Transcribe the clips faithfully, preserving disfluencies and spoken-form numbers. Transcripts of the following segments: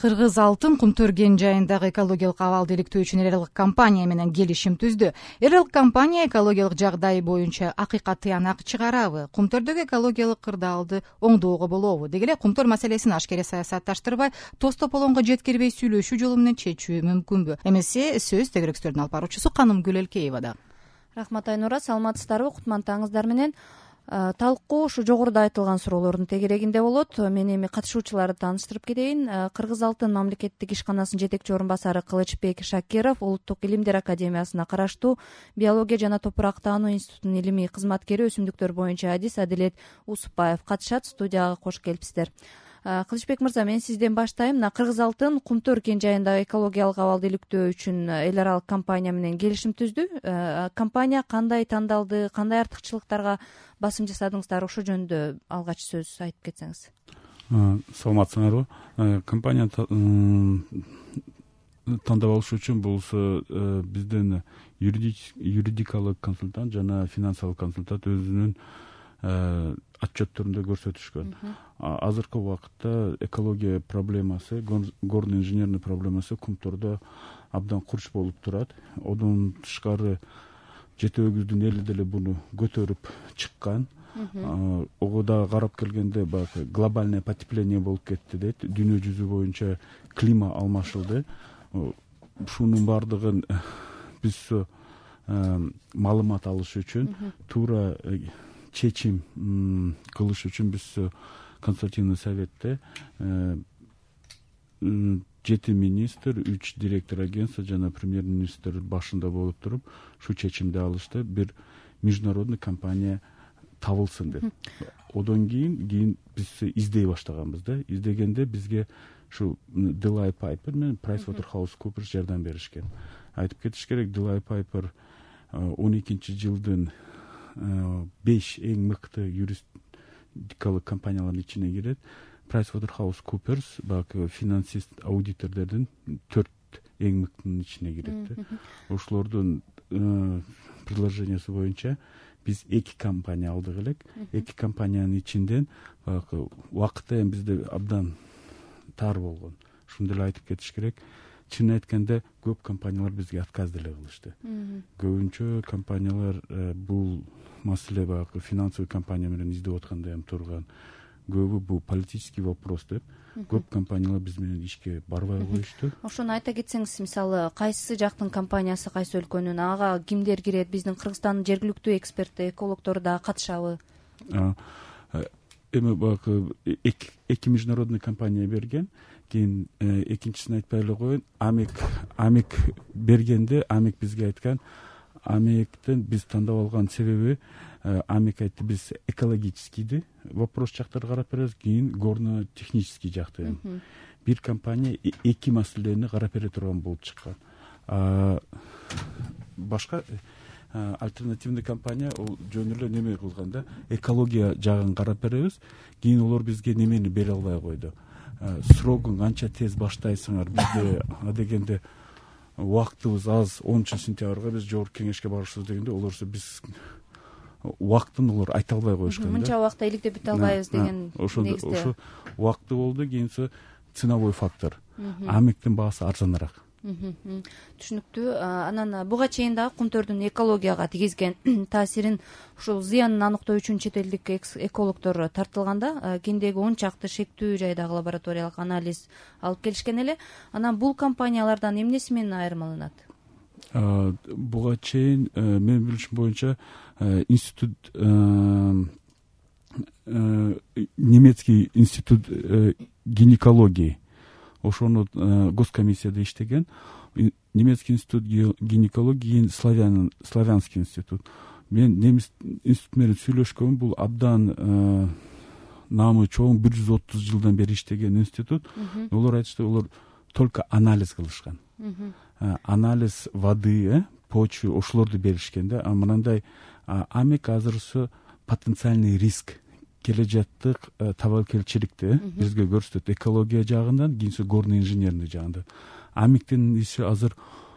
Кыргыз алтын Кумтөр кен жайындагы экологиялык абалды иликтөө үчүн эл аралык компания менен келишим түздү. Эл аралык компания экологиялык жагдай боюнча акыйкат тыянак чыгарабы, Кумтөрдөгү экологиялык кырдаалды оңдоого болобу, деги эле Кумтөр маселесин ашкере саясатташтырбай, тоз тополоңго жеткирбей сүйлөшүү жолу менен чечүү мүмкүнбү? Эмесе сөз тегеректөрдүн алып баруучусу Канымгүл Элкеевада. Рахмат Айнура, саламатсыздарбы? Кутмантаңыздар менен. Талкуу ушу жогоруда айтылган суроолордун тегерегинде болот. Мен эми катышуучуларды тааныштырып кетейин. Кыргыз алтын мамлекеттик ишканасынын жетекчи орун басары Кылычбек Шакиров, Улуттук илимдер академиясына караштуу биология жана топурактануу институтунун илимий кызматкери, өсүмдүктөр боюнча адис Адилет Усупбаев катышат. Студияга кош келипсиздер. Кылычбек мырза, мен сизден баштайм. Мына Кыргыз алтын Кумтөр кен жайындагы экологиялык абалды иликтөө үчүн эл аралык компания менен келишим түздү. Компания кандай тандалды, кандай артыкчылыктарга басым жасадыңыздар? Ошол жөнүндө алгач сөз айтып кетсеңиз. Саламатсыңарбы? Компания тандап алыш үчүн болсо бизден юридикалык консультант жана финансылык консультант өзүнүн отчетторунда көрсөтүшкөн. Азыркы убакытта экология проблемасы, горно инженерный проблемасы Кумтөрдө абдан курч болуп турат. Одан тышкары жети өгүздүн эли деле буну көтөрүп чыккан. Ого да карап келгенде баягы глобальное потепление болуп кетти дейт. Дүйнө жүзү боюнча климат алмашылды. Ушунун баардыгын биз маалымат алыш үчүн, туура чечим кылыш үчүн биз консультативный советте жети министр, үч директор агентства жана премьер-министр башында болуп туруп, ушу чечимди алышты. Бир международный компания табылсын деп. Одон кийин кийин биз издей баштаганбыз да. Издегенде бизге ушу Delay Piper менен PricewaterhouseCoopers жардам беришкен. Айтып кетиш керек, Delay Piper он экинчи жылдын беш эң мыкты юридикалык компаниялардын ичине кирет. PricewaterhouseCoopers баягы финансист аудитордордун төрт эң мыктынын ичине кирет. Ошолордун предложениясы боюнча биз эки компания алдык элек. Эки компаниянын ичинден баягы убакытта эми бизде абдан тар болгон. Ушуну деле айтып кетиш керек. Чын айтканда көп компаниялар бизге отказ деле кылышты. Көбүнчө компаниялар бул маселе баягы финансовый компания менен издеп аткандай эми турган. Көбү бул политический вопрос деп, көп компаниялар биз менен ишке барбай коюшту. Ошону айта кетсеңиз, мисалы, кайсы жактын компаниясы, кайсы өлкөнүн, ага кимдер кирет? Биздин Кыргызстандын жергиликтүү эксперти, экологдору да катышабы? Эми баягы эки международный компания берген. Кийин экинчисин айтпай эле коеюн. Амек Амек бергенде Амек бизге айткан, Амектен биз тандап алган себеби, Амек айтты, биз экологическийди вопрос жактарды карап беребиз, кийин горно технический жакты. Бир компания эки маселени карап бере турган болуп чыккан. Башка альтернативный компания ол жөн эле неме кылганда, экология жагын карап беребиз, кийин олор бизге немени бере албай койду. Срогун канча тез баштайсыңар, бизде адегенде убактыбыз аз, онунчу сентябрга биз жогорку кеңешке барышыбыз дегенде, олорсо биз убактын олор айта албай коюшкан да. Мынча убакта иликтеп бүтө албайбыз деген негизде. Ошо убакты болду, кийинси ценовой фактор. Амектин баасы арзаныраак. Түшүнүктүү. Анан буга чейин дагы Кумтөрдүн экологияга тийгизген таасирин, ушул зыянын аныктоо үчүн чет элдик экологдор тартылганда, кендеги он чакты шектүү жайдагы лабораториялык анализ алып келишкен эле. Анан бул компаниялардан эмнеси менен айырмаланат? Буга чейин менин билишим боюнча институт, немецкий институт гинекологии, ошону госкомиссияда иштеген. Немецкий институт гинекологии, славян славянский институт. Мен немис институт менен сүйлөшкөм. Бул абдан наамы чоң, бир жүз отуз жылдан бери иштеген институт. Олар айтышты, олар только анализ кылышкан. Анализ воды, почвы, ошолорду беришкен да. А мындай Амек азырсы потенциальный риск, кележаттык табакелчиликти бизге көрсөтөт, экология жагынан, кийинси горно инженерный жагында. Амектин иши азыр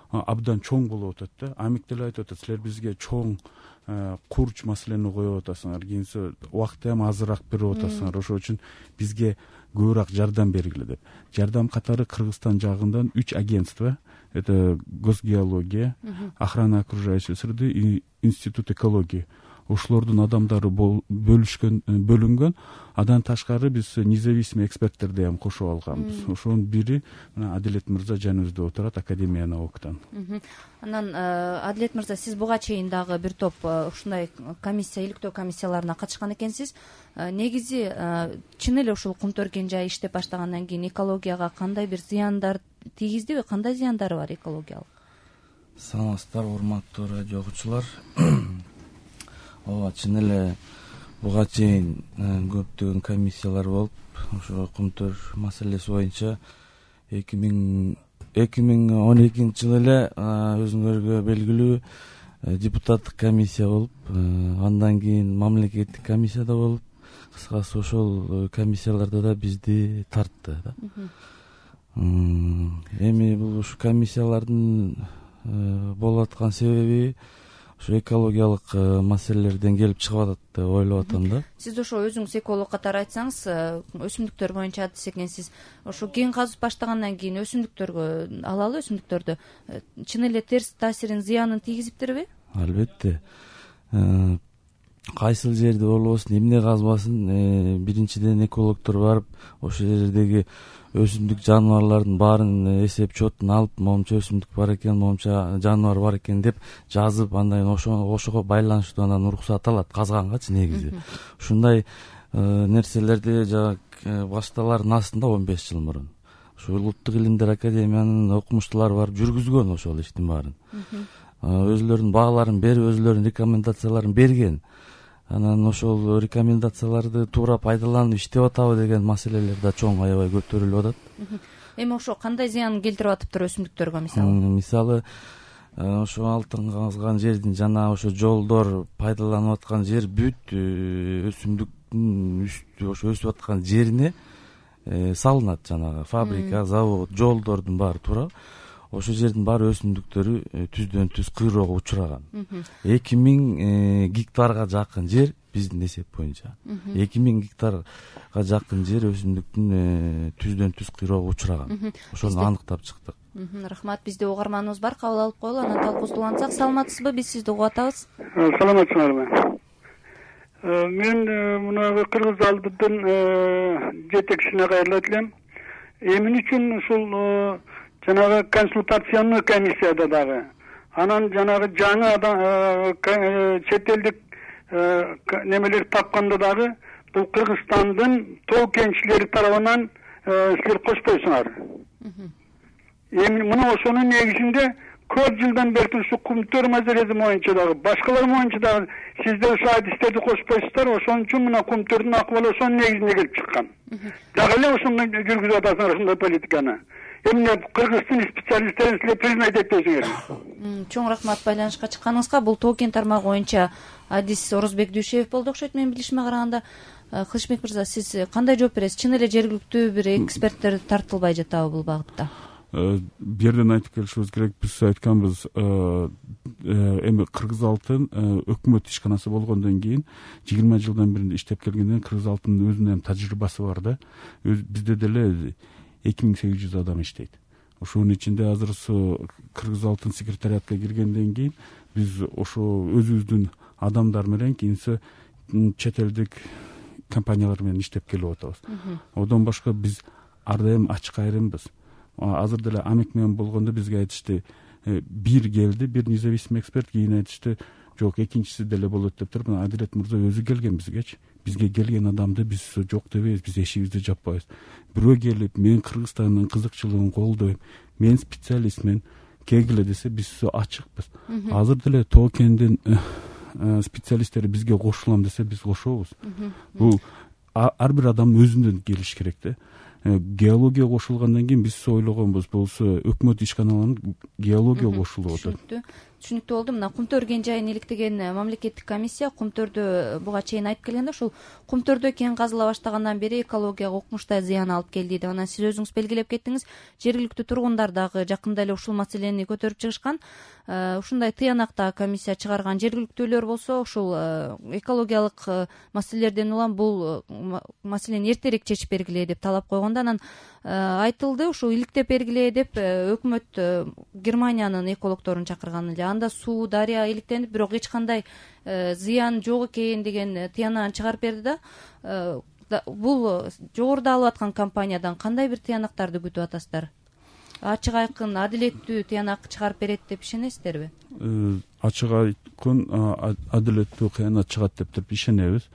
абдан чоң болуп атат да. Амек деле айтып атат, силер бизге чоң курч маселени коюп атасыңар, кийинси убакытты эми азыраак берип атасыңар, ошол үчүн бизге көбүрөөк жардам бергиле деп. Жардам катары Кыргызстан жагынан үч агентство, это Госгеология, Охрана окружающей среды, Институт экологии. Ошолордун адамдары бөлүшкөн, бөлүнгөн. Андан ташкары биз независимый эксперттерди эми кошуп алганбыз. Ошонун бири мына Адилет мырза жаныбызда отурат, Академия науктан. Анан Адилет мырза, сиз буга чейин дагы бир топ ушундай комиссия, иликтөө комиссияларына катышкан экенсиз. Негизи чын эле ушул Кумтөргөн жай иштеп баштагандан кийин экологияга кандай бир зыяндар тийгиздиби, кандай зыяндары бар экологиялык? Саламатсыздар, урматтуу радио окуучулар. Ооба, чын эле буга чейин көптөгөн комиссиялар болуп, ошо Кумтөр маселеси боюнча эки миң он экинчи жылы эле өзүңөргө белгилүү депутаттык комиссия болуп, андан кийин мамлекеттик комиссия да болуп, кыскасы ошол комиссияларда да бизди тартты да. Эми бул ушу комиссиялардын болуп аткан себеби ушу экологиялык маселелерден келип чыгып атат деп ойлоп атам да. Сиз ошо өзүңүз эколог катары айтсаңыз, өсүмдүктөр боюнча адис экенсиз. Ошо кен казып баштагандан кийин өсүмдүктөргө, алалы өсүмдүктөрдү чын эле терс таасирин, зыянын тийгизиптирби? Албетте. Кайсыл жерде болбосун, эмне казбасын, биринчиден экологдор барып ошол жердеги өсүмдүк жаныбарлардын баарын эсеп чотун алып, момунча өсүмдүк бар экен, момунча жаныбар бар экен деп жазып, андан кийин ошого байланыштуу анан уруксат алат казгангачы негизи. Ушундай нерселерди жана башталардын астында он беш жыл мурун ушул Улуттук илимдер академиянын окумуштуулары барып жүргүзгөн ошол иштин баарын. Өзүлөрүнүн бааларын берип, өзүлөрүнүн рекомендацияларын берген. Анан ошол рекомендацияларды туура пайдаланып иштеп атабы деген маселелер да чоң аябай көтөрүлүп атат. Эми ошо кандай зыян келтирип атыптыр өсүмдүктөргө мисалы? Мисалы, ошо алтын казган жердин жана ошо жолдор пайдаланып аткан жер бүт өсүмдүктүн үстү ошо өсүп аткан жерине салынат, жанагы фабрика, завод, жолдордун баары туура. Ошол жердин баары өсүмдүктөрү түздөн түз кыйроого учураган. эки миң гектарга жакын жер биздин эсеп боюнча. эки миң гектарга жакын жер өсүмдүктүн түздөн түз кыйроого учураган. Ошону аныктап чыктык. Рахмат, бизде угарманыбыз бар, кабыл алып коелу, анан талкуубузду улантсак. Саламатсызбы? Биз сизди угуп атабыз. Саламатсыздарбы? Мен мына Кыргыз алдыдын жетекчисине кайрылат элем. Эмне үчүн ушул жанагы консультационный комиссияда дагы, анан жанагы жаңы чет элдик немелер тапканда дагы бул Кыргызстандын тоо кенчилери тарабынан силер кошпойсуңар. Эми мына ошонун негизинде көп жылдан бери ушу Кумтөр маселеси боюнча дагы, башкалар боюнча дагы сиздер ушу адистерди кошпойсуздар, ошон үчүн мына Кумтөрдүн акыбалы ошонун негизинде келип чыккан. Дагы эле ошондой жүргүзүп атасыңар ушундай политиканы. Эмне Кыргыздын специалисттерин силер признать этпейсиңер? Чоң рахмат байланышка чыкканыңызга. Бул тоо кен тармагы боюнча адис Орозбек Дүйшеев болду окшойт, менин билишиме караганда. Кылычбек мырза, сиз кандай жооп бересиз? Чын эле жергиликтүү бир эксперттер тартылбай жатабы бул багытта? Бу жерден айтып келишибиз керек, биз айтканбыз, эми Кыргыз алтын өкмөт ишканасы болгондон кийин жыйырма жылдан бери иштеп келгенден Кыргыз алтынын өзүнүн тажрыйбасы бар да. Бизде деле эки миң сегиз жүз адам иштейт. Ошонун ичинде азыр Кыргыз алтын секретариатка киргенден кийин биз ошо өзүбүздүн адамдар менен кийинси чет элдик компаниялар менен иштеп келип атабыз. Одон башка биз ар дайым ачык айрымбыз. Азыр деле Амек менен болгондо бизге айтышты, бир келди, бир независимый эксперт, кийин айтышты, жок, экинчиси деле болот деп туруп, Адилет мырза өзү келген бизгечи. Бизге келген адамды биз жок дебейбиз, биз эшигибизди жаппайбыз. Бирөө келип, мен Кыргызстандын кызыкчылыгын колдойм, мен специалистмин, келгиле десе биз ачыкпыз. Азыр деле тоо кендин специалисттери бизге кошулам десе биз кошобуз. Бул ар бир адам өзүнөн келиш керек да. Геология кошулгандан кийин биз ойлогонбуз, болсо өкмөт ишканаларынын геология кошулуп атат. түшүнүктүү болду. Мына кум төр кен жайын иликтеген мамлекеттик комиссия кум төрдө буга чейин айтып келгенде ушул кум төрдө кен казыла баштагандан бери экологияга укмуштай зыян алып келди деп анан сиз өзүңүз белгилеп кеттиңиз. Жергиликтүү тургундар дагы жакында эле ушул маселени көтөрүп чыгышкан. Ушундай тыянак да комиссия чыгарган. Жергиликтүүлөр болсо ушул экологиялык маселелерден улам бул маселени эртерээк чечип бергиле деп талап койгондо анан айтылды ушул иликтеп бергиле деп өкмөт Германиянын экологторун чакырган эле. Анда суу, дарыя иликтенип, бирок эч кандай зыян жок экен деген тыянагын чыгарып берди да. Бул жогоруда алып аткан компаниядан кандай бир тыянактарды күтүп атасыздар? Ачык айкын, адилеттүү тыянак чыгарып берет деп ишенесиздерби? Ачык айкын, адилеттүү кыянат чыгат деп туруп ишенебиз.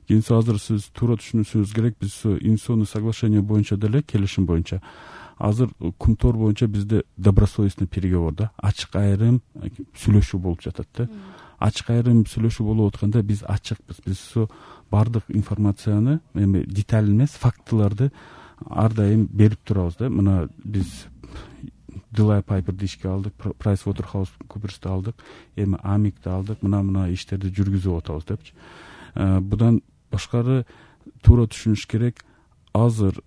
Кийинси азыр сиз туура түшүнүшүңүз керек, биз инвестиционный соглашение боюнча деле, келишим боюнча азыр кум тор боюнча бизде добросовестный переговор да, ачык айрым сүйлөшүү болуп жатат да. Ачык айрым сүйлөшүү болуп атканда биз ачыкпыз. Биз бардык информацияны, эми деталь эмес, фактыларды ар дайым берип турабыз да. Мына биз Delay Piper'ди ишке алдык, PricewaterhouseCoopers'ти алдык, эми Amic'ти алдык, мына мына иштерди жүргүзүп атабыз депчи. Будан башкары туура түшүнүш керек. Азыр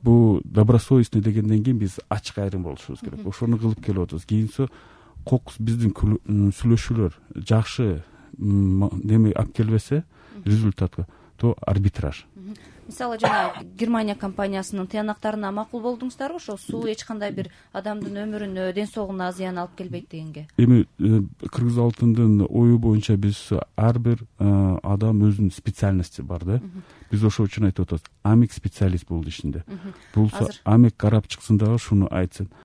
бу добросовестный дегенден кийин биз ачык айрым болушубуз керек. Ошону кылып келип атабыз. Кийинси кокус биздин сүйлөшүүлөр жакшы неме алып келбесе результатка, то арбитраж. Мисалы жана Германия компаниясынын тыянактарына макул болдуңуздарбы? Ошо суу эч кандай бир адамдын өмүрүнө, ден соолугуна зыян алып келбейт дегенге. Эми Кыргыз алтындын ою боюнча биз ар бир адам өзүнүн специальности бар да. Биз ошол үчүн айтып атабыз. Амик специалист бул ишинде. Бул Амик карап чыксын дагы шуну айтсын.